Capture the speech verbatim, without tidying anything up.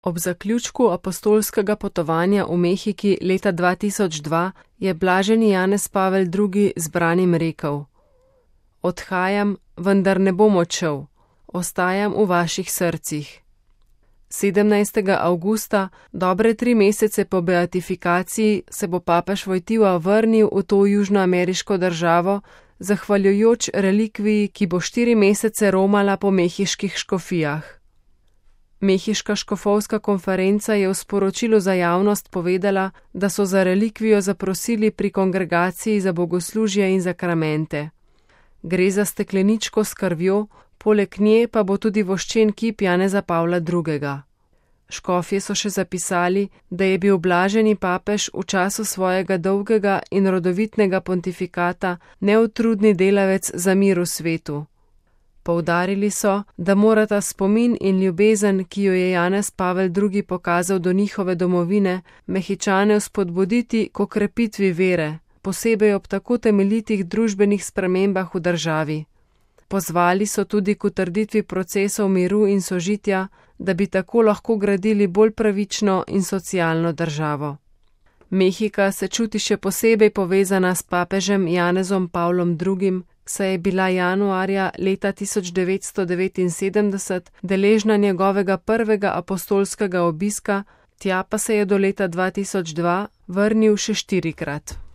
Ob zaključku apostolskega potovanja v Mehiki leta dva tisoč dva je blaženi Janez Pavel drugi zbranim rekel: Odhajam, vendar ne bom odšel, ostajam v vaših srcih. sedemnajstega avgusta, dobre tri mesece po beatifikaciji, se bo papež Vojtila vrnil v to južnoameriško državo, zahvaljujoč relikviji, ki bo štiri mesece romala po mehiških škofijah. Mehiška škofovska konferenca je v sporočilu za javnost povedala, da so za relikvijo zaprosili pri kongregaciji za bogoslužje in zakramente. Gre za stekleničko s krvjo, poleg nje pa bo tudi voščen kip Janeza Pavla drugega. Škofje so še zapisali, da je bil blaženi papež v času svojega dolgega in rodovitnega pontifikata neutrudni delavec za mir v svetu. Poudarili so, da morata spomin in ljubezen, ki jo je Janez Pavel drugi pokazal do njihove domovine, Mehičane vzpodbuditi k okrepitvi vere, posebej ob tako temeljitih družbenih spremembah v državi. Pozvali so tudi k utrditvi procesov miru in sožitja, da bi tako lahko gradili bolj pravično in socialno državo. Mehika se čuti še posebej povezana s papežem Janezom Pavlom drugim, saj je bila januarja leta tisoč devetsto devetinsedemdeset deležna njegovega prvega apostolskega obiska, tja pa se je do leta dva tisoč dva vrnil še štirikrat.